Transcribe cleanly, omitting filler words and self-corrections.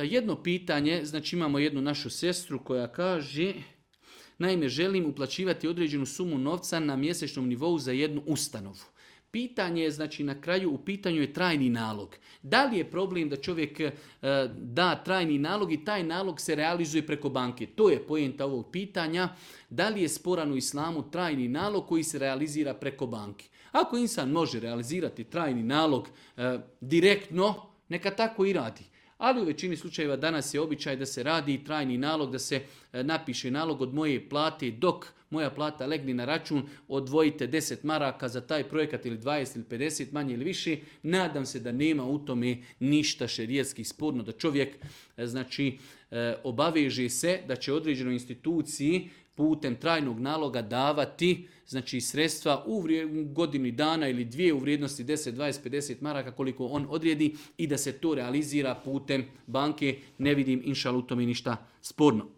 Jedno pitanje, znači imamo jednu našu sestru koja kaže, naime želim uplaćivati određenu sumu novca na mjesečnom nivou za jednu ustanovu. Pitanje je, znači na kraju u pitanju je trajni nalog. Da li je problem da čovjek da trajni nalog i taj nalog se realizuje preko banke? To je poenta ovog pitanja. Da li je sporan u islamu trajni nalog koji se realizira preko banke? Ako insan može realizirati trajni nalog direktno, neka tako i radi. Ali u većini slučajeva danas je običaj da se radi trajni nalog, da se napiše nalog od moje plate dok moja plata legne na račun, odvojite 10 maraka za taj projekat ili 20 ili 50, manje ili više. Nadam se da nema u tome ništa šerijatski sporno, da čovjek znači obaveže se da će određenoj instituciji putem trajnog naloga davati znači sredstva u godini dana ili dvije u vrijednosti 10, 20, 50 maraka koliko on odredi i da se to realizira putem banke. Ne vidim inšal u tome ništa sporno.